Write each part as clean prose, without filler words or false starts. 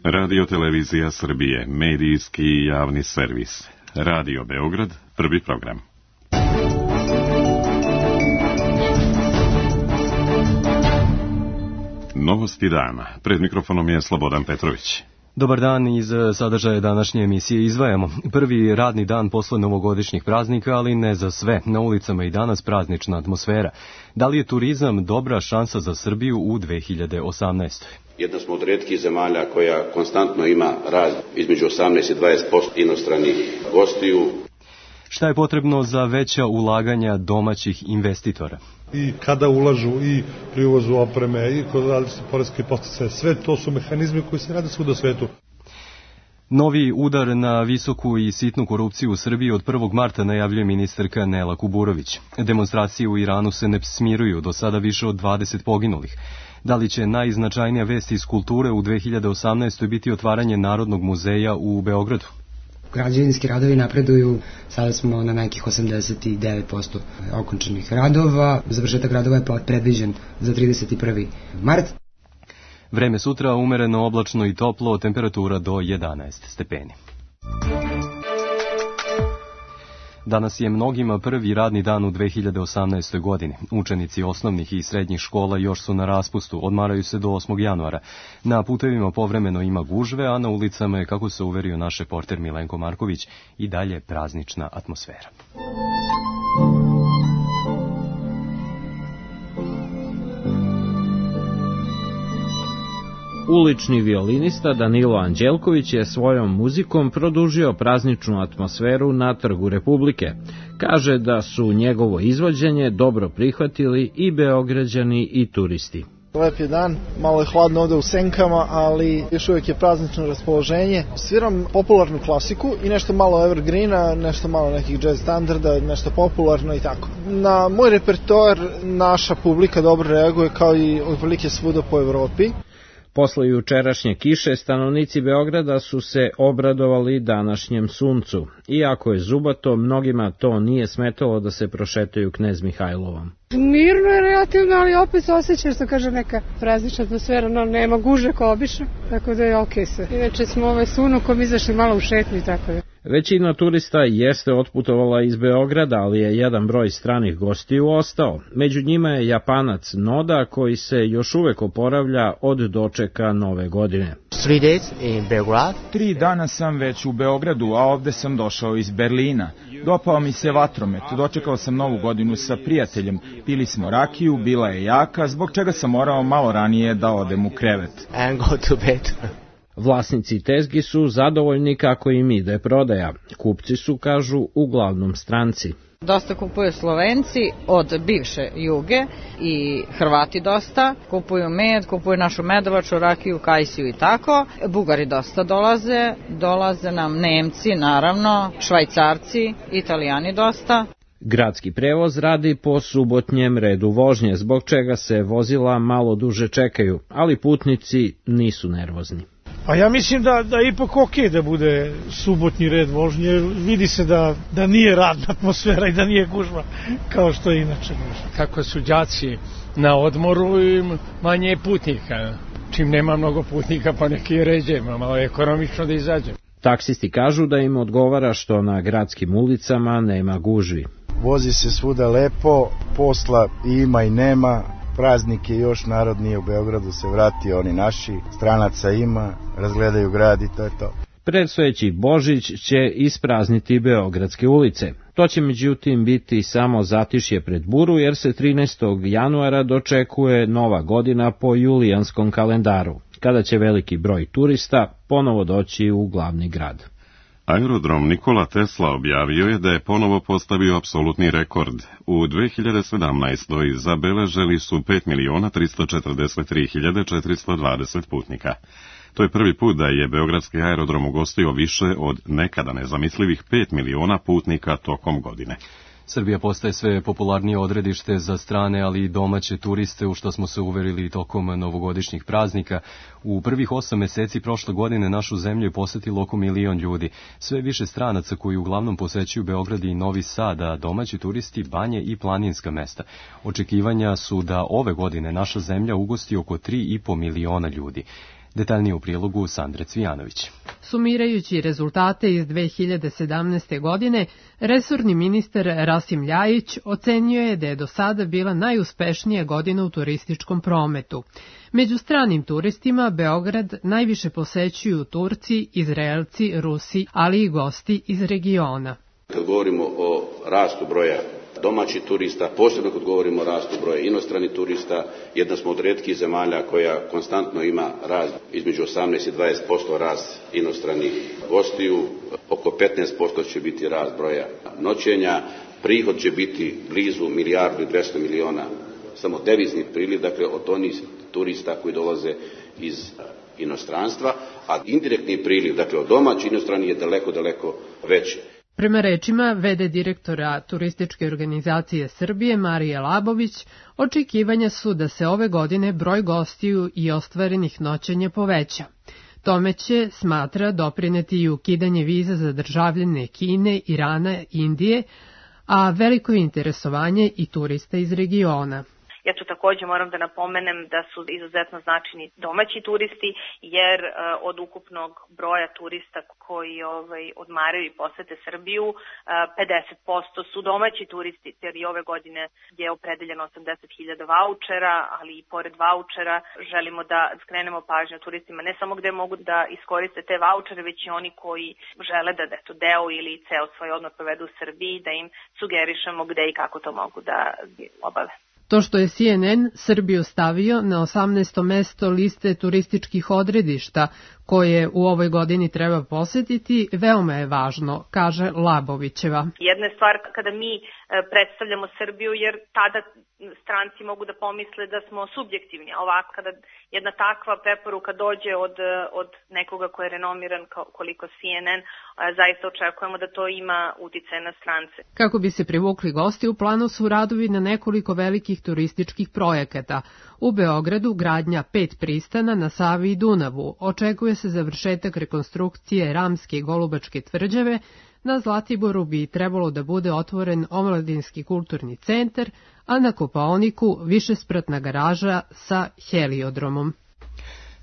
Radio Televizija Srbije, medijski i javni servis. Radio Beograd, prvi program. Novosti dana. Pred mikrofonom je Slobodan Petrović. Dobar dan, iz sadržaja današnje emisije izdvajamo. Prvi radni dan posle novogodišnjih praznika, ali ne za sve. Na ulicama i danas praznična atmosfera. Da li je turizam dobra šansa za Srbiju u 2018. Jedna smo od retkih zemalja koja konstantno ima rast između 18 i 20% inostranih gostiju. Šta je potrebno za veća ulaganja domaćih investitora? I kada ulažu i pri uvozu opreme i kod različite poreske podsticaje, sve to su mehanizmi koji se rade svuda u svetu. Novi udar na visoku i sitnu korupciju u Srbiji od 1. marta najavljuje ministarka Nela Kuburović. Demonstracije u Iranu se ne smiruju, do sada više od 20 poginulih. Da li će najznačajnija vest iz kulture u 2018. biti otvaranje Narodnog muzeja u Beogradu? Građevinski radovi napreduju, sada smo na nekih 89% okončanih radova. Završetak radova je predviđen za 31. mart. Vreme sutra umereno, oblačno i toplo, temperatura do 11 stepeni. Danas je mnogima prvi radni dan u 2018. godini. Učenici osnovnih i srednjih škola još su na raspustu, odmaraju se do 8. januara. Na putevima povremeno ima gužve, a na ulicama je, kako se uverio naš reporter Milenko Marković, i dalje praznična atmosfera. Ulični violinista Danilo Anđelković je svojom muzikom produžio prazničnu atmosferu na Trgu Republike. Kaže da su njegovo izvođenje dobro prihvatili i Beograđani i turisti. Lep je dan, malo je hladno ovde u senkama, ali još uvijek je praznično raspoloženje. Sviram popularnu klasiku i nešto malo evergreena, nešto malo nekih jazz standarda, nešto popularno i tako. Na moj repertoar naša publika dobro reaguje, kao i otprilike svuda po Evropi. Posle jučerašnje kiše, stanovnici Beograda su se obradovali današnjem suncu. Iako je zubato, mnogima to nije smetalo da se prošetaju Knez Mihajlovom. Mirno je relativno, ali opet se osjeća, što kaže, neka praznična atmosfera, no nema guže kao obično, tako da je okej sve. Inače smo s unukom izašli malo u šetnju i tako da. Većina turista jeste otputovala iz Beograda, ali je jedan broj stranih gostiju ostao. Među njima je Japanac Noda, koji se još uvek oporavlja od dočeka nove godine. 3 dana sam već u Beogradu, a ovde sam došao iz Berlina. Dopao mi se vatromet, dočekao sam novu godinu sa prijateljem, pili smo rakiju, bila je jaka, zbog čega sam morao malo ranije da odem u krevet. Vlasnici tezgi su zadovoljni kako im ide prodaja. Kupci su, kažu, uglavnom stranci. Dosta kupuju Slovenci od bivše Juge i Hrvati dosta. Kupuju med, kupuju našu medovaču, rakiju, kajsiju i tako. Bugari dosta dolaze nam Nemci, naravno, Švajcarci, Italijani dosta. Gradski prevoz radi po subotnjem redu vožnje, zbog čega se vozila malo duže čekaju, ali putnici nisu nervozni. A ja mislim da ipak okej da bude subotnji red vožnje, vidi se da nije radna atmosfera i da nije gužva kao što je inače gužva. Kako su đaci na odmoru i manje je putnika, čim nema mnogo putnika pa neki ređe, malo je ekonomično da izađe. Taksisti kažu da im odgovara što na gradskim ulicama nema gužvi. Vozi se svuda lepo, posla ima i nema. Praznik je još, narod nije u Beogradu se vratio, oni naši, stranaca ima, razgledaju grad i to je to. Predstojeći Božić će isprazniti beogradske ulice. To će međutim biti samo zatišje pred buru, jer se 13. januara dočekuje nova godina po julijanskom kalendaru, kada će veliki broj turista ponovo doći u glavni grad. Aerodrom Nikola Tesla objavio je da je ponovo postavio apsolutni rekord. U 2017. zabeležili su 5.343.420 putnika. To je prvi put da je beogradski aerodrom ugostio više od nekada nezamislivih 5 miliona putnika tokom godine. Srbija postaje sve popularnije odredište za strane, ali i domaće turiste, u što smo se uverili tokom novogodišnjih praznika. U prvih 8 meseci prošle godine našu zemlju je posetilo oko 1 milion ljudi. Sve više stranaca koji uglavnom posećuju Beograd i Novi Sad, a domaći turisti banje i planinska mesta. Očekivanja su da ove godine naša zemlja ugosti oko 3,5 miliona ljudi. Detaljnije u prilogu Sandre Cvijanović. Sumirajući rezultate iz 2017. godine, resorni ministar Rasim Ljajić ocenio je da je do sada bila najuspešnija godina u turističkom prometu. Među stranim turistima Beograd najviše posećuju Turci, Izraelci, Rusi, ali i gosti iz regiona. Kad govorimo o rastu broja domaćih turista, posebno kad govorimo o rastu broja inostranih turista, jedna smo od retkih zemalja koja konstantno ima rast između 18 i 20% rast inostranih gostiju, oko 15% će biti rast broja noćenja, prihod će biti blizu 1,2 milijarde samo devizni priliv, dakle od onih turista koji dolaze iz inostranstva, a indirektni priliv, dakle od domaćih inostranih je daleko veći. Prema rečima v.d. direktora Turističke organizacije Srbije Marije Labović, očekivanja su da se ove godine broj gostiju i ostvarenih noćenja poveća. Tome će, smatra, doprineti i ukidanje viza za državljane Kine, Irana, Indije, a veliko interesovanje i turista iz regiona. Ja tu također moram da napomenem da su izuzetno značajni domaći turisti, jer od ukupnog broja turista koji odmaraju i posete Srbiju, 50% su domaći turisti, jer i ove godine je opredeljeno 80.000 vaučera, ali i pored vaučera želimo da skrenemo pažnju turistima ne samo gde mogu da iskoriste te vaučere, već i oni koji žele da deo ili ceo svoj odmor provedu u Srbiji, da im sugerišemo gde i kako to mogu da obave. To što je CNN Srbiju stavio na 18. mesto liste turističkih odredišta koje u ovoj godini treba posetiti, veoma je važno, kaže Labovićeva. Jedna je stvar kada mi predstavljamo Srbiju, jer tada stranci mogu da pomisle da smo subjektivni, a ovako kada jedna takva preporuka dođe od nekoga ko je renomiran koliko CNN, zaista očekujemo da to ima uticaj na strance. Kako bi se privukli gosti, u planu su radovi na nekoliko velikih turističkih projekata. U Beogradu gradnja 5 pristana na Savi i Dunavu. Očekuje se završetak rekonstrukcije Ramske i Golubačke tvrđave. Na Zlatiboru bi trebalo da bude otvoren omladinski kulturni centar, a na Kopaoniku višespratna garaža sa heliodromom.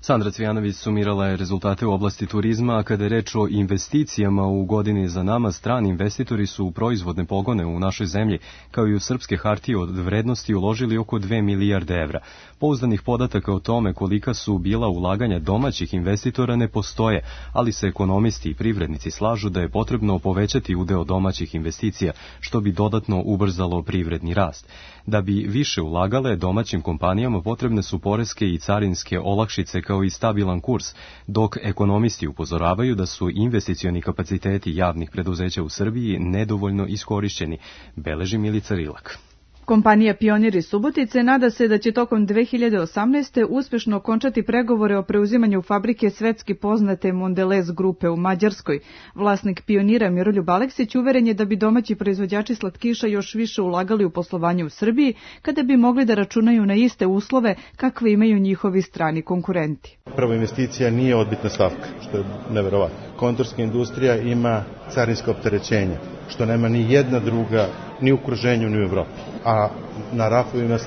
Sandra Cvijanović sumirala je rezultate u oblasti turizma, a kada je reč o investicijama u godini za nama, strani investitori su u proizvodne pogone u našoj zemlji, kao i u srpske hartije od vrednosti uložili oko 2 milijarde evra. Pouzdanih podataka o tome kolika su bila ulaganja domaćih investitora ne postoje, ali se ekonomisti i privrednici slažu da je potrebno povećati udeo domaćih investicija, što bi dodatno ubrzalo privredni rast. Da bi više ulagale, domaćim kompanijama potrebne su poreske i carinske olakšice kao i stabilan kurs, dok ekonomisti upozoravaju da su investicioni kapaciteti javnih preduzeća u Srbiji nedovoljno iskorišćeni, beleži Milica Rilak. Kompanija Pionir iz Subotice nada se da će tokom 2018. uspešno okončati pregovore o preuzimanju fabrike svetski poznate Mondelez grupe u Mađarskoj. Vlasnik Pionira Miroljub Aleksić uveren je da bi domaći proizvođači slatkiša još više ulagali u poslovanje u Srbiji kada bi mogli da računaju na iste uslove kakve imaju njihovi strani konkurenti. Prva investicija nije odbitna stavka, što je neverovatno. Kontorska industrija ima carinsko opterećenje, što nema ni jedna druga, ni u okruženju, ni u Evropi. A na rafovima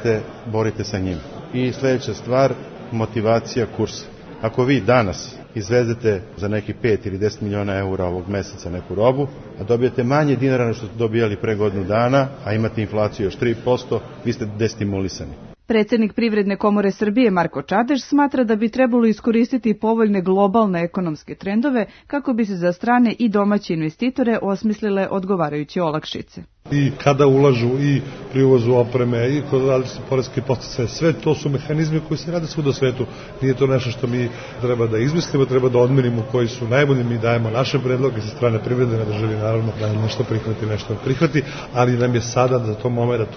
borite sa njima. I sljedeća stvar, motivacija kursa. Ako vi danas izvezete za neki 5 ili 10 miliona eura ovog meseca neku robu, a dobijete manje dinara nego što ste dobijali pre godinu dana, a imate inflaciju još 3%, vi ste destimulisani. Predsjednik Privredne komore Srbije Marko Čadež smatra da bi trebalo iskoristiti povoljne globalne ekonomske trendove kako bi se za strane i domaće investitore osmislile odgovarajuće olakšice. I kada ulažu i pri uvozu opreme i kod različitih poreskih podsticaja, sve to su mehanizmi koji se rade svuda u svetu. Nije to nešto što mi treba da izmislimo, treba da odmerimo koji su najbolji, mi dajemo naše predloge sa strane privrede na državi, naravno da nešto prihvati, ali nam je sada za to moment.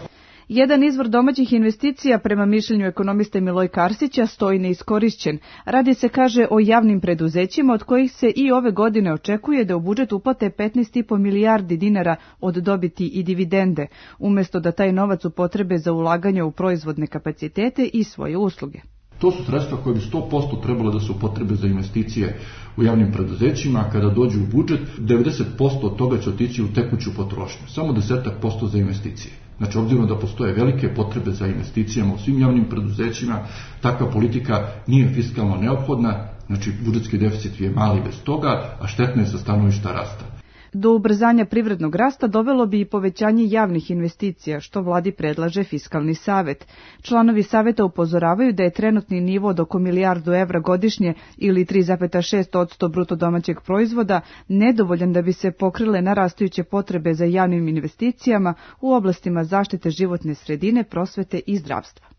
Jedan izvor domaćih investicija, prema mišljenju ekonomiste Miloj Karsića, stoji neiskorišćen. Radi se, kaže, o javnim preduzećima od kojih se i ove godine očekuje da u budžet uplate 15,5 milijardi dinara od dobiti i dividende, umjesto da taj novac upotrebe za ulaganje u proizvodne kapacitete i svoje usluge. To su sredstva koje bi 100% trebalo da se upotrebe za investicije u javnim preduzećima, a kada dođu u budžet, 90% od toga će otići u tekuću potrošnju, samo 10% za investicije. Znači, obzirom da postoje velike potrebe za investicijama u svim javnim preduzećima, takva politika nije fiskalno neophodna, Znači, budžetski deficit je mali bez toga, a štetno je sa stanovišta rasta. Do ubrzanja privrednog rasta dovelo bi i povećanje javnih investicija, što vladi predlaže Fiskalni savet. Članovi saveta upozoravaju da je trenutni nivo od oko milijardu evra godišnje ili 3,6% bruto domaćeg proizvoda nedovoljan da bi se pokrile narastajuće potrebe za javnim investicijama u oblastima zaštite životne sredine, prosvete i zdravstva.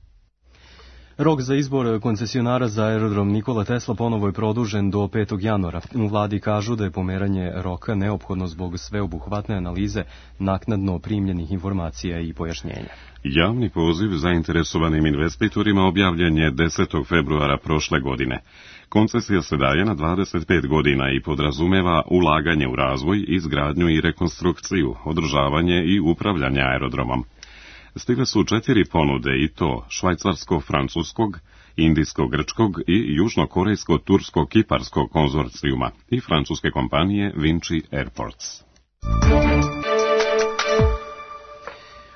Rok za izbor koncesionara za aerodrom Nikola Tesla ponovo je produžen do 5. januara. U vladi kažu da je pomeranje roka neophodno zbog sveobuhvatne analize naknadno primljenih informacija i pojašnjenja. Javni poziv zainteresovanim investitorima objavljen je 10. februara prošle godine. Koncesija se daje na 25 godina i podrazumeva ulaganje u razvoj, izgradnju i rekonstrukciju, održavanje i upravljanje aerodromom. Stigle su 4 ponude i to švajcarsko-francuskog, indijsko-grčkog i južnokorejsko-tursko-kiparskog konzorcijuma i francuske kompanije Vinci Airports.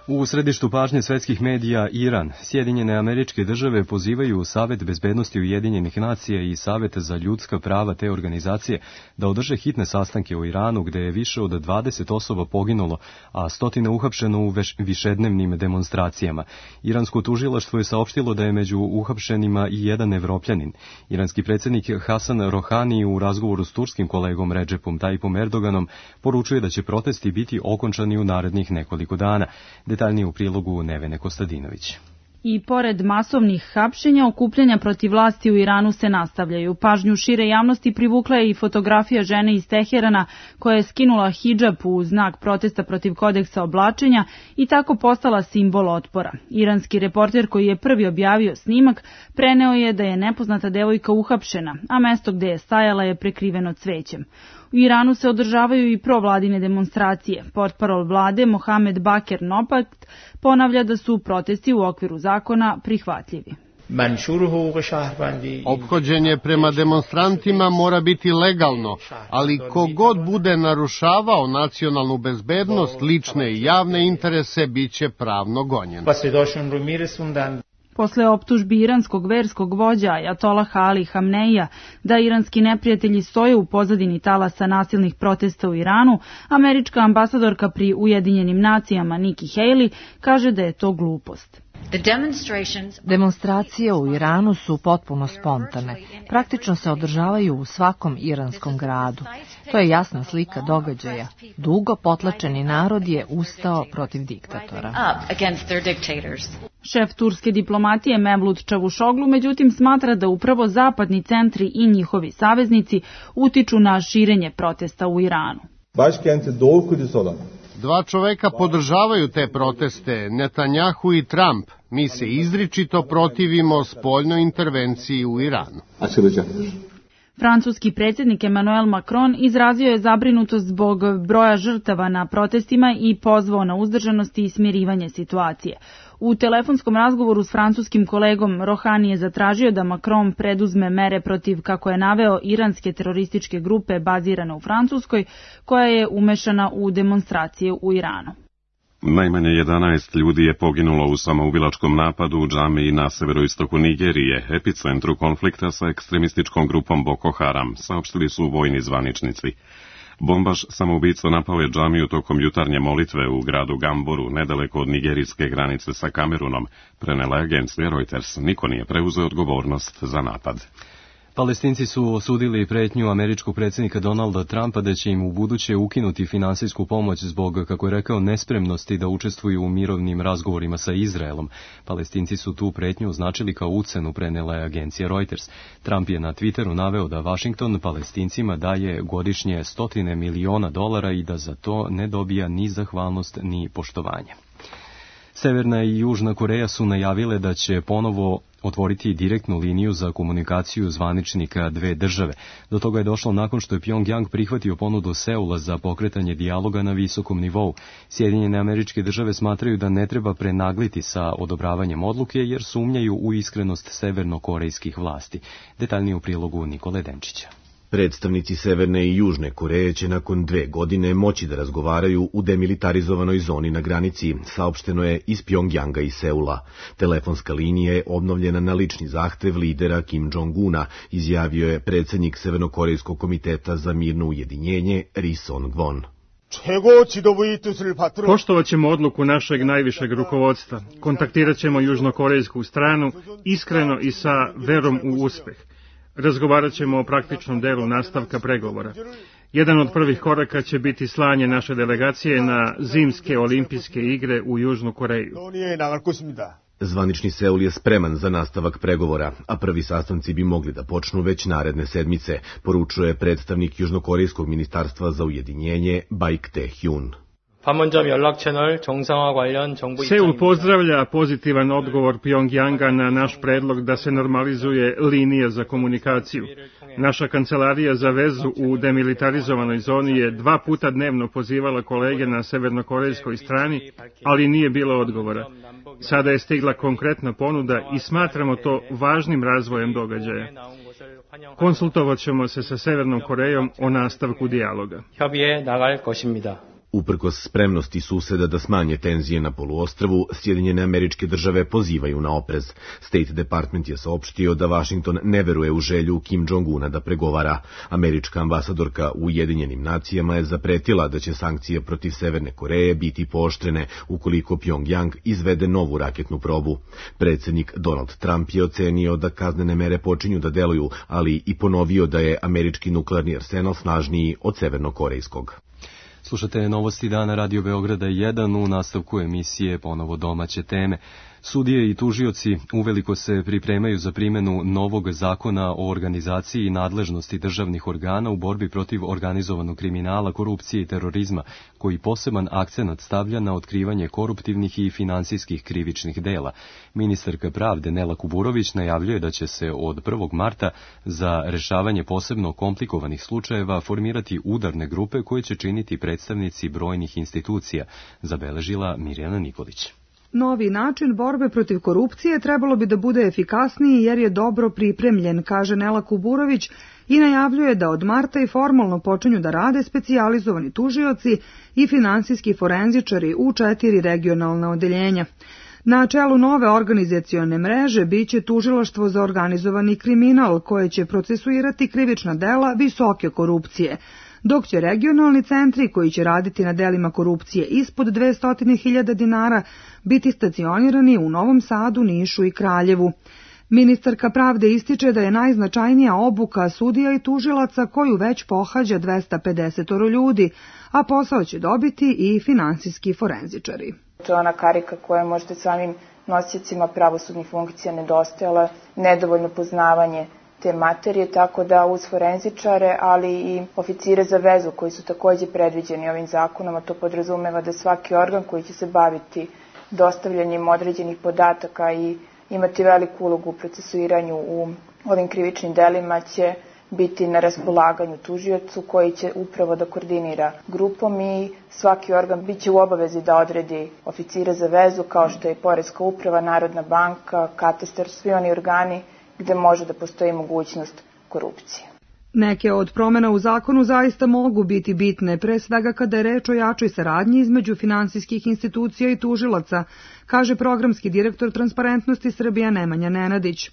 U središtu pažnje svetskih medija Iran, Sjedinjene Američke Države pozivaju Savet bezbednosti Ujedinjenih nacija i Savet za ljudska prava te organizacije da održe hitne sastanke u Iranu gde je više od 20 osoba poginulo, a stotine uhapšeno u višednevnim demonstracijama. Iransko tužilaštvo je saopštilo da je među uhapšenima i jedan Evropljanin. Iranski predsjednik Hasan Rohani u razgovoru s turskim kolegom Redžepom Tayyipom Erdoganom poručuje da će protesti biti okončani u narednih nekoliko dana. Detaljnije u prilogu Nevene Kostadinović. I pored masovnih hapšenja, okupljanja protiv vlasti u Iranu se nastavljaju. Pažnju šire javnosti privukla je i fotografija žene iz Teherana koja je skinula hidžab u znak protesta protiv kodeksa oblačenja i tako postala simbol otpora. Iranski reporter koji je prvi objavio snimak preneo je da je nepoznata devojka uhapšena, a mesto gde je stajala je prekriveno cvećem. U Iranu se održavaju i provladine demonstracije. Portparol vlade Mohamed Baker Nopat ponavlja da su protesti u okviru zakona prihvatljivi. Ophođenje prema demonstrantima mora biti legalno, ali kogod bude narušavao nacionalnu bezbednost, lične i javne interese, biće pravno gonjen. Posle optužbi iranskog verskog vođa Ajatollaha Ali Hamneija da iranski neprijatelji stoje u pozadini talasa nasilnih protesta u Iranu, američka ambasadorka pri Ujedinjenim nacijama Nikki Haley kaže da je to glupost. Demonstracije u Iranu su potpuno spontane. Praktično se održavaju u svakom iranskom gradu. To je jasna slika događaja. Dugo potlačeni narod je ustao protiv diktatora. Šef turske diplomatije Mevlut Čavušoglu međutim smatra da upravo zapadni centri i njihovi saveznici utiču na širenje protesta u Iranu. Dva čoveka podržavaju te proteste, Netanjahu i Trump. Mi se izričito protivimo spoljnoj intervenciji u Iranu. Francuski predsjednik Emmanuel Macron izrazio je zabrinutost zbog broja žrtava na protestima i pozvao na uzdržanost i smirivanje situacije. U telefonskom razgovoru s francuskim kolegom Rohani je zatražio da Macron preduzme mere protiv, kako je naveo, iranske terorističke grupe bazirane u Francuskoj, koja je umešana u demonstracije u Iranu. Najmanje 11 ljudi je poginulo u samoubilačkom napadu u džamiji na severoistoku Nigerije, epicentru konflikta sa ekstremističkom grupom Boko Haram, saopštili su vojni zvaničnici. Bombaš samoubica napao je džamiju tokom jutarnje molitve u gradu Gamboru, nedaleko od nigerijske granice sa Kamerunom, prenela agencija Reuters. Niko nije preuzeo odgovornost za napad. Palestinci su osudili pretnju američkog predsjednika Donalda Trumpa da će im u buduće ukinuti finansijsku pomoć zbog, kako je rekao, nespremnosti da učestvuju u mirovnim razgovorima sa Izraelom. Palestinci su tu pretnju označili kao ucenu, prenela je agencija Reuters. Trump je na Twitteru naveo da Washington Palestincima daje godišnje $100 miliona i da za to ne dobija ni zahvalnost ni poštovanje. Severna i Južna Koreja su najavile da će ponovo otvoriti direktnu liniju za komunikaciju zvaničnika dve države. Do toga je došlo nakon što je Pyongyang prihvatio ponudu Seula za pokretanje dijaloga na visokom nivou. Sjedinjene Američke Države smatraju da ne treba prenagliti sa odobravanjem odluke jer sumnjaju u iskrenost severnokorejskih vlasti. Detaljnije u prilogu Nikole Denčića. Predstavnici Severne i Južne Koreje će nakon 2 godine moći da razgovaraju u demilitarizovanoj zoni na granici, saopšteno je iz Pjongjanga i Seula. Telefonska linija je obnovljena na lični zahtev lidera Kim Jong-una, izjavio je predsednik Severnokorejskog komiteta za mirno ujedinjenje Ri Song-won. Poštovat ćemo odluku našeg najvišeg rukovodstva. Kontaktirat ćemo južnokorejsku stranu iskreno i sa verom u uspeh. Razgovarat ćemo o praktičnom delu nastavka pregovora. Jedan od prvih koraka će biti slanje naše delegacije na zimske olimpijske igre u Južnu Koreju. Zvanični Seul je spreman za nastavak pregovora, a prvi sastanci bi mogli da počnu već naredne sedmice, poručuje predstavnik Južnokorejskog ministarstva za ujedinjenje Baik Tae-hyun. Seul pozdravlja pozitivan odgovor Pjongjanga na naš predlog da se normalizuje linija za komunikaciju. Naša kancelarija za vezu u demilitarizovanoj zoni je 2 puta dnevno pozivala kolege na severnokorejskoj strani, ali nije bilo odgovora. Sada je stigla konkretna ponuda i smatramo to važnim razvojem događaja. Konsultovat ćemo se sa Severnom Korejom o nastavku dijaloga. Uprkos spremnosti suseda da smanje tenzije na poluostrvu, Sjedinjene Američke Države pozivaju na oprez. State Department je saopštio da Washington ne veruje u želju Kim Jong-una da pregovara. Američka ambasadorka u Ujedinjenim nacijama je zapretila da će sankcije protiv Severne Koreje biti pooštrene ukoliko Pjongjang izvede novu raketnu probu. Predsednik Donald Trump je ocenio da kaznene mere počinju da deluju, ali i ponovio da je američki nuklearni arsenal snažniji od severnokorejskog. Slušate novosti dana Radio Beograda 1 u nastavku emisije ponovo domaće teme. Sudije i tužioci uveliko se pripremaju za primjenu novog zakona o organizaciji i nadležnosti državnih organa u borbi protiv organizovanog kriminala, korupcije i terorizma, koji poseban akcenat stavlja na otkrivanje koruptivnih i finansijskih krivičnih dela. Ministarka pravde Nela Kuburović najavljuje da će se od 1. marta za rešavanje posebno komplikovanih slučajeva formirati udarne grupe koje će činiti predstavnici brojnih institucija, zabeležila Mirjana Nikolić. Novi način borbe protiv korupcije trebalo bi da bude efikasniji jer je dobro pripremljen, kaže Nela Kuburović i najavljuje da od marta i formalno počinju da rade specijalizovani tužioci i finansijski forenzičari u 4 regionalna odeljenja. Na čelu nove organizacione mreže biće tužilaštvo za organizovani kriminal koje će procesuirati krivična dela visoke korupcije, dok će regionalni centri koji će raditi na delima korupcije ispod 200.000 dinara biti stacionirani u Novom Sadu, Nišu i Kraljevu. Ministarka pravde ističe da je najznačajnija obuka sudija i tužilaca koju već pohađa 250 ljudi, a posao će dobiti i finansijski forenzičari. To je ona karika koja je možda samim nosiocima pravosudnih funkcija nedostajala, nedovoljno poznavanje te materije, tako da uz forenzičare, ali i oficire za vezu koji su takođe predviđeni ovim zakonom, a to podrazumeva da svaki organ koji će se baviti dostavljanjem određenih podataka i imati veliku ulogu u procesuiranju u ovim krivičnim delima će biti na raspolaganju tužiocu koji će upravo da koordinira grupom i svaki organ biće u obavezi da odredi oficire za vezu kao što je Poreska uprava, Narodna banka, katastar, svi oni organi gde može da postoji mogućnost korupcije. Neke od promena u zakonu zaista mogu biti bitne, pre svega kada je reč o jačoj saradnji između finansijskih institucija i tužilaca, kaže programski direktor Transparentnosti Srbija Nemanja Nenadić.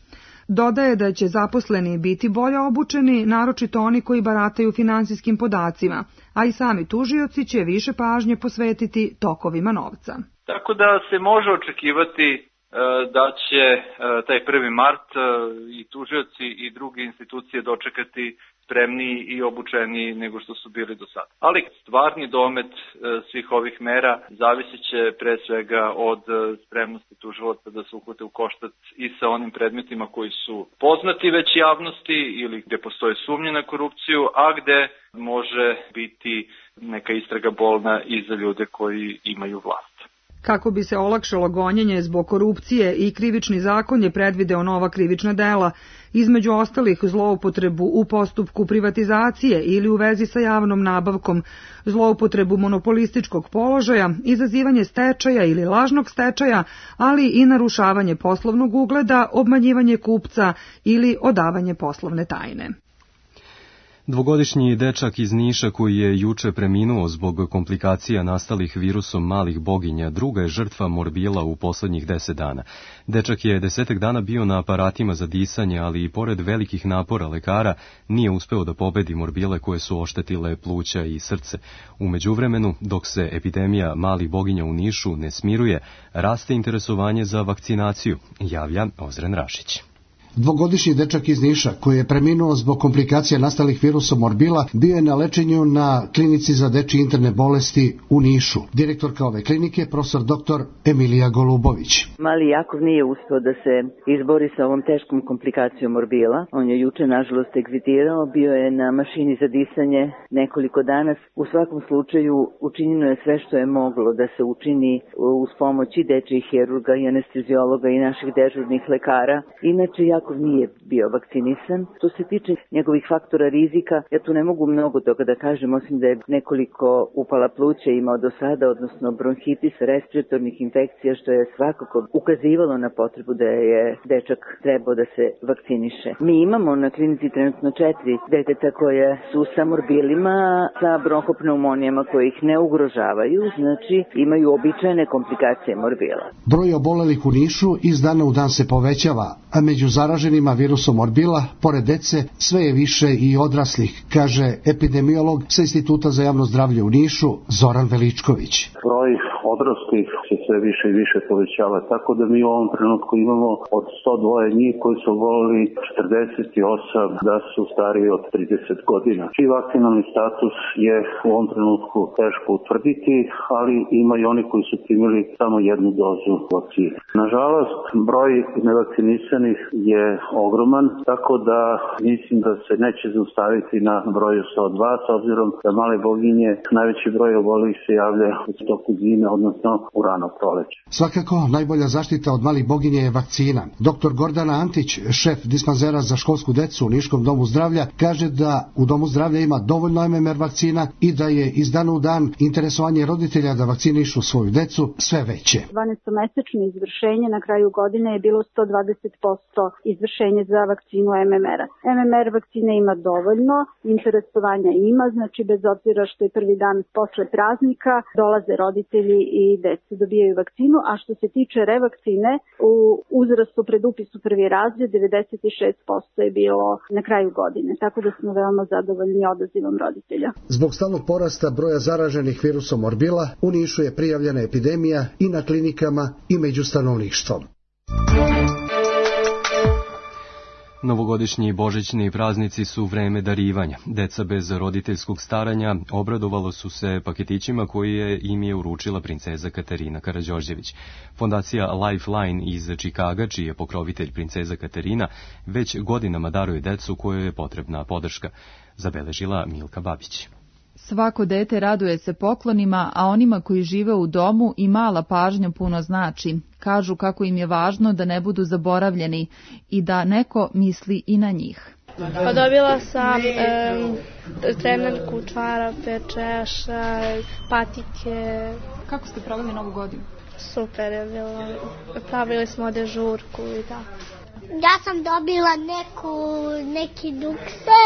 Dodaje da će zaposleni biti bolje obučeni, naročito oni koji barataju finansijskim podacima, a i sami tužioci će više pažnje posvetiti tokovima novca. Tako da se može očekivati da će taj 1. mart i tužioci i druge institucije dočekati spremniji i obučeniji nego što su bili do sada. Ali stvarni domet svih ovih mera zavisit će pre svega od spremnosti tužilaca da se uhvate u koštac i sa onim predmetima koji su poznati već javnosti ili gde postoje sumnje na korupciju, a gde može biti neka istraga bolna i za ljude koji imaju vlast. Kako bi se olakšalo gonjenje zbog korupcije i krivični zakon je predvideo nova krivična dela, između ostalih zloupotrebu u postupku privatizacije ili u vezi sa javnom nabavkom, zloupotrebu monopolističkog položaja, izazivanje stečaja ili lažnog stečaja, ali i narušavanje poslovnog ugleda, obmanjivanje kupca ili odavanje poslovne tajne. Dvogodišnji dečak iz Niša koji je juče preminuo zbog komplikacija nastalih virusom malih boginja druga je žrtva morbila u poslednjih 10 dana. Dečak je 10 dana bio na aparatima za disanje, ali i pored velikih napora lekara nije uspeo da pobedi morbile koje su oštetile pluća i srce. U međuvremenu, dok se epidemija malih boginja u Nišu ne smiruje, raste interesovanje za vakcinaciju, javlja Ozren Rašić. Dvogodišnji dečak iz Niša, koji je preminuo zbog komplikacija nastalih virusom morbila, bio je na lečenju na klinici za dečje interne bolesti u Nišu. Direktorka ove klinike, profesor dr. Emilija Golubović. Mali Jakov nije uspeo da se izbori sa ovom teškom komplikacijom morbila. On je juče, nažalost, egzitirao, bio je na mašini za disanje nekoliko dana. U svakom slučaju učinjeno je sve što je moglo da se učini uz pomoć i dečjih hirurga i anesteziologa i naših dežurnih lekara. Inače, Jakov nije bio vakcinisan. Što se tiče njegovih faktora rizika, ja tu ne mogu mnogo toga da kažem, osim da je nekoliko upala pluća imao do sada, odnosno bronhitis, respiratornih infekcija, što je svakako ukazivalo na potrebu da je dečak trebao da se vakciniše. Mi imamo na klinici trenutno 4 deteta koje su sa morbilima, sa bronhopneumonijama koje ih ne ugrožavaju, znači imaju običajne komplikacije morbila. Broj obolelih u Nišu iz dana u dan se povećava, a među zaraženima virusom morbila, pored dece, sve je više i odraslih, kaže epidemiolog sa Instituta za javno zdravlje u Nišu, Zoran Veličković. Broj odraslih se sve više i više povećava, tako da mi u ovom trenutku imamo od 102 njih koji su oboleli 48 da su stariji od 30 godina. Čiji vakcinalni status je u ovom trenutku teško utvrditi, ali ima i oni koji su primili samo jednu dozu vakcine. Nažalost, broj nevakcinisanih je ogroman, tako da mislim da se neće zaustaviti na broju 102, s obzirom da male boginje, najveći broj obolelih se javlja u toku zime, odnosno u rano proleće. Svakako, najbolja zaštita od malih boginje je vakcina. Dr. Gordana Antić, šef dispanzera za školsku decu u Niškom domu zdravlja, kaže da u domu zdravlja ima dovoljno MMR vakcina i da je iz dana u dan interesovanje roditelja da vakcinišu svoju decu sve veće. 12-mesečno izvršenje na kraju godine je bilo 120% izvršenje za vakcinu MMR-a. MMR vakcine ima dovoljno, interesovanja ima, znači bez obzira što je prvi dan posle praznika, dolaze roditelji i deca dobijaju vakcinu, a što se tiče revakcine, u uzrastu pred upis u prvi razred 96% je bilo na kraju godine, tako da smo veoma zadovoljni odazivom roditelja. Zbog stalnog porasta broja zaraženih virusom morbila, u Nišu je prijavljena epidemija i na klinikama i među stanovništvom. Novogodišnji i božićni praznici su vreme darivanja. Deca bez roditeljskog staranja obradovalo su se paketićima koje im je uručila princeza Katarina Karađorđević. Fondacija Lifeline iz Čikaga, čiji je pokrovitelj princeza Katarina, već godinama daruje decu kojoj je potrebna podrška, zabeležila Milka Babić. Svako dete raduje se poklonima, a onima koji žive u domu i mala pažnja puno znači. Kažu kako im je važno da ne budu zaboravljeni i da neko misli i na njih. Pa dobila sam trenerku, čarape, češa, patike. Kako ste proveli Novu godinu? Super je bilo. Pravili smo dežurku i tako. Ja sam dobila neki dukse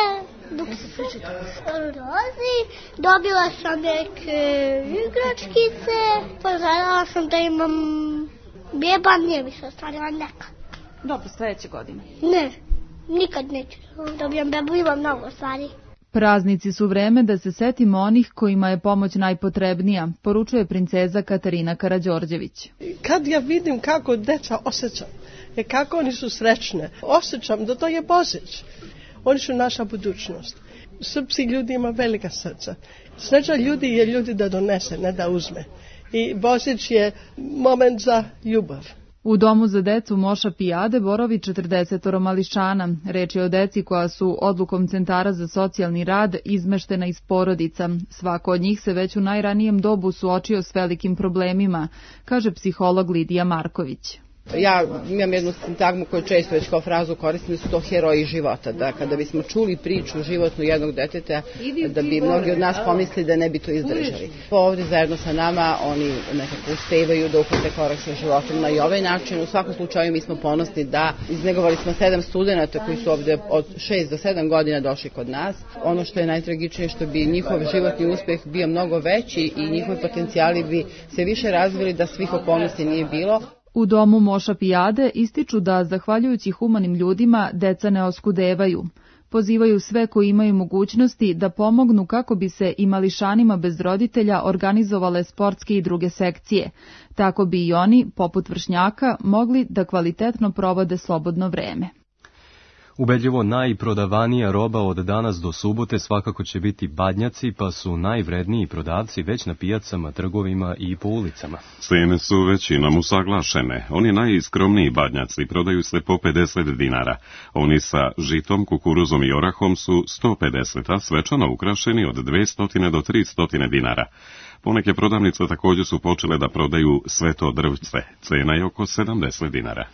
rozi, dobila sam neke igračkice, poželjala sam da imam beba, nije mi se ostvarila neka. Dobro, sledeće godine. Ne, nikad neću dobijem bebu, imam mnogo stvari. Praznici su vreme da se setimo onih kojima je pomoć najpotrebnija, poručuje princeza Katarina Karađorđević. Kad ja vidim kako deca osjećam, kako oni su srećne, osjećam da to je Božić. Oni su naša budućnost. Srpski ljudi ima velika srca. Sreća ljudi je ljudi da donese, ne da uzme. I Božić je moment za ljubav. U domu za decu Moša Pijade borovi 40 mališana. Reč je o deci koja su odlukom Centara za socijalni rad izmeštena iz porodica. Svako od njih se već u najranijem dobu suočio s velikim problemima, kaže psiholog Lidija Marković. Ja imam jednu sintagmu koju često već kao frazu koristim, da su to heroji života, da kada bismo čuli priču životnu jednog deteta, da bi mnogi od nas pomislili da ne bi to izdržali. Ovdje zajedno sa nama oni nekako uspevaju da uhvate korak sa životom na i ovaj način. U svakom slučaju mi smo ponosni da iznegovali smo 7 studenata koji su ovdje od 6 do 7 godina došli kod nas. Ono što je najtragičnije što bi njihov životni uspeh bio mnogo veći i njihovi potencijali bi se više razvili da svih okolnosti nije bilo. U domu Moša Pijade ističu da, zahvaljujući humanim ljudima, deca ne oskudevaju. Pozivaju sve koji imaju mogućnosti da pomognu kako bi se i mališanima bez roditelja organizovale sportske i druge sekcije. Tako bi i oni, poput vršnjaka, mogli da kvalitetno provode slobodno vreme. Ubedljivo najprodavanija roba od danas do subote svakako će biti badnjaci, pa su najvredniji prodavci već na pijacama, trgovima i po ulicama. Cene su većinom usaglašene. Oni najskromniji badnjaci prodaju se po 50 dinara. Oni sa žitom, kukuruzom i orahom su 150, a svečano ukrašeni od 200 do 300 dinara. Poneke prodavnice također su počele da prodaju sveto drvce. Cena je oko 70 dinara.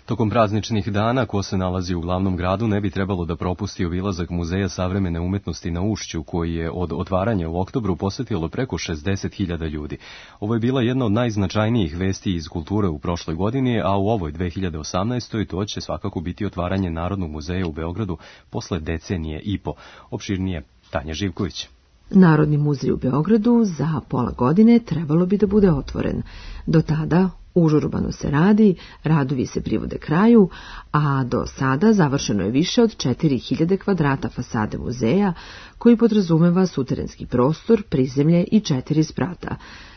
Tokom prazničnih dana, ko se nalazi u glavnom gradu, ne bi trebalo da propusti obilazak Muzeja savremene umetnosti na Ušću, koji je od otvaranja u oktobru posetilo preko 60.000 ljudi. Ovo je bila jedna od najznačajnijih vesti iz kulture u prošloj godini, a u ovoj 2018. to će svakako biti otvaranje Narodnog muzeja u Beogradu posle decenije i po. Opširnije Tanja Živković. Narodni muzej u Beogradu za pola godine trebalo bi da bude otvoren. Do tada užurbano se radi, radovi se privode kraju, a do sada završeno je više od 4000 kvadrata fasade muzeja, koji podrazumeva suterenski prostor, prizemlje i 4 sprata.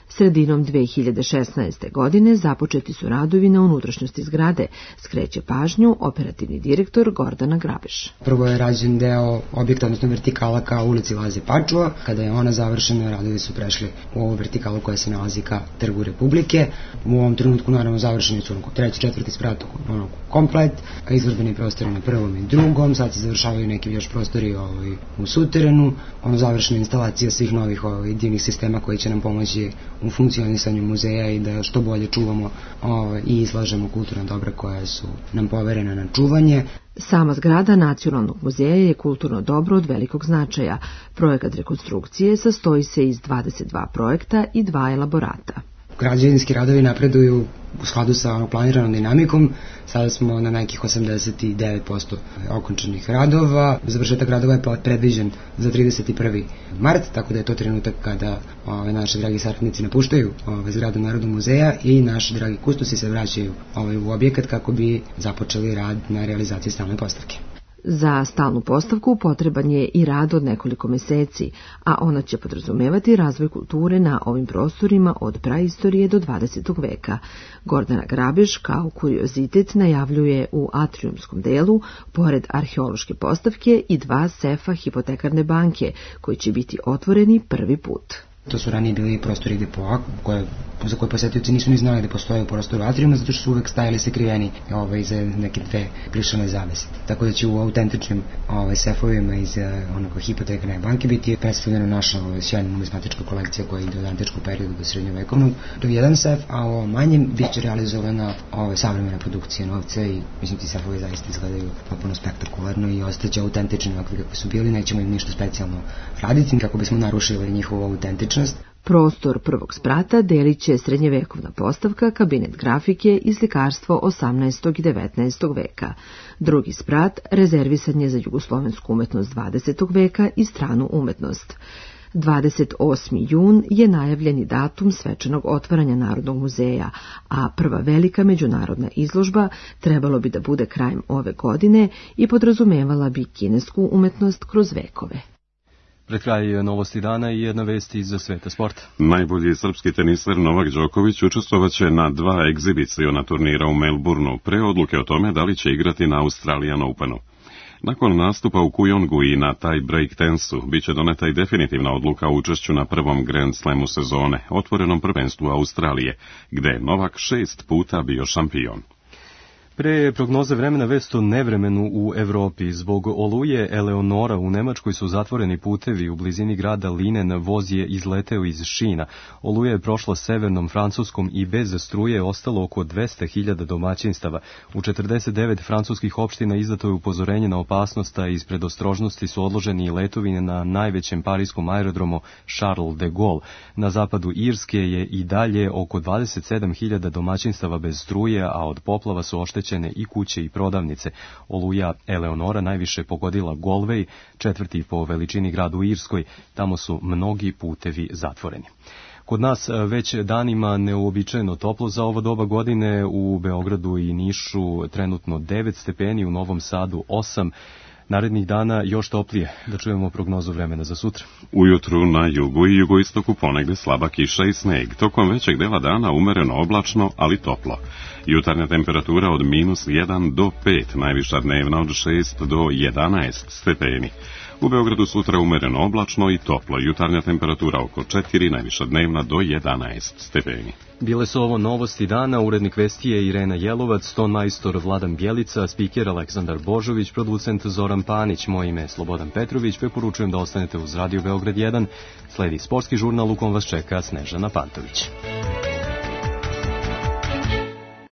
Sredinom 2016. godine započeti su radovi na unutrašnjosti zgrade, skreće pažnju operativni direktor Gordana Grabeš. Prvo je rađen deo objekta, odnosno vertikala ka ulici Laze Pačua. Kada je ona završena, radovi su prešli u ovu vertikalu koja se nalazi ka Trgu Republike. U ovom trenutku naravno završeni su treći, četvrti sprat komplet, izložbeni prostori na prvom i drugom, sad se završavaju neki još prostori u suterenu, završena instalacija svih novih divnih sistema koji će nam pomoći u funkcionisanju muzeja i da što bolje čuvamo i izlažemo kulturna dobra koja su nam poverena na čuvanje. Sama zgrada Nacionalnog muzeja je kulturno dobro od velikog značaja. Projekat rekonstrukcije sastoji se iz 22 projekta i 2 elaborata. Građevinski radovi napreduju u skladu sa planiranom dinamikom. Sada smo na nekih 89% okončanih radova. Završetak radova je predviđen za 31. mart, tako da je to trenutak kada naši dragi saradnici napuštaju zgradu Narodnog muzeja i naši dragi kustosi se vraćaju u objekat kako bi započeli rad na realizaciji stalne postavke. Za stalnu postavku potreban je i rad od nekoliko meseci, a ona će podrazumevati razvoj kulture na ovim prostorima od praistorije do 20. veka. Gordana Grabeš kao kuriozitet najavljuje u atriumskom delu, pored arheološke postavke, i 2 sefa hipotekarne banke, koji će biti otvoreni prvi put. To su ranije bili prostori depoa za koje posetioci nisu ni znali da postoje u prostoru atrijuma, zato što su uvek stajali sakriveni iza neke 2 plišane zavese. Tako da će u autentičnim sefovima iz hipotekarne banke biti predstavljena naša sjajna numizmatička kolekcija koja ide od antičkog perioda do srednjovekovnog. To je jedan sef, a u manjem bit će realizovana savremena produkcija novca i mislim ti sefovi zaista izgledaju potpuno spektakularno i ostaće autentični ovakvi kakvi su bili, nećemo im ništa specijalno raditi kako bismo narušili njihovu autentičnost. Prostor prvog sprata delit će srednjevekovna postavka, kabinet grafike i slikarstvo 18. i 19. veka. Drugi sprat rezervisan je za jugoslovensku umetnost 20. veka i stranu umetnost. 28. jun je najavljeni datum svečanog otvaranja Narodnog muzeja, a prva velika međunarodna izložba trebalo bi da bude krajem ove godine i podrazumevala bi kinesku umetnost kroz vekove. Pred kraj novosti dana i jedna vest iz sveta sporta. Najbolji srpski teniser Novak Đoković učestvovaće na 2 egzibiciona turnira u Melbourneu pre odluke o tome da li će igrati na Australian Openu. Nakon nastupa u Kujongu i na taj break tensu biće doneta i definitivna odluka o učešću na prvom Grand Slamu sezone, otvorenom prvenstvu Australije, gde je Novak 6 puta bio šampion. Pre prognoze vremena vest o nevremenu u Evropi. Zbog oluje Eleonora u Nemačkoj su zatvoreni putevi u blizini grada Linen, voz je izleteo iz šina. Oluja je prošla severnom Francuskom i bez struje ostalo oko 200.000 domaćinstava. U 49 francuskih opština izdato je upozorenje na opasnost, a iz predostrožnosti su odloženi i letovi na najvećem parijskom aerodromu Charles de Gaulle. Na zapadu Irske je i dalje oko 27.000 domaćinstava bez struje, a od poplava su oštećeni i kuće i prodavnice. Oluja Eleonora najviše pogodila Galway, četvrti po veličini grad u Irskoj. Tamo su mnogi putevi zatvoreni. Kod nas već danima neuobičajeno toplo za ovo doba godine, u Beogradu i Nišu trenutno 9 stepeni, u Novom Sadu 8. Narednih dana još toplije. Da čujemo prognozu vremena za sutra. Ujutru na jugu i jugoistoku ponegde slaba kiša i sneg. Tokom većeg dela dana umereno oblačno, ali toplo. Jutarnja temperatura od -1 do 5, najviša dnevna od 6 do 11 stepeni. U Beogradu sutra umereno oblačno i toplo. Jutarnja temperatura oko 4, najviša dnevna do 11 stepeni. Bile su ovo novosti dana, urednik vesti je Irena Jelovac, ton majstor Vladan Bjelica, spiker Aleksandar Božović, producent Zoran Panić, moje ime je Slobodan Petrović, preporučujem da ostanete uz Radio Beograd 1, sledi sportski žurnal u kom vas čeka Snežana Pantović.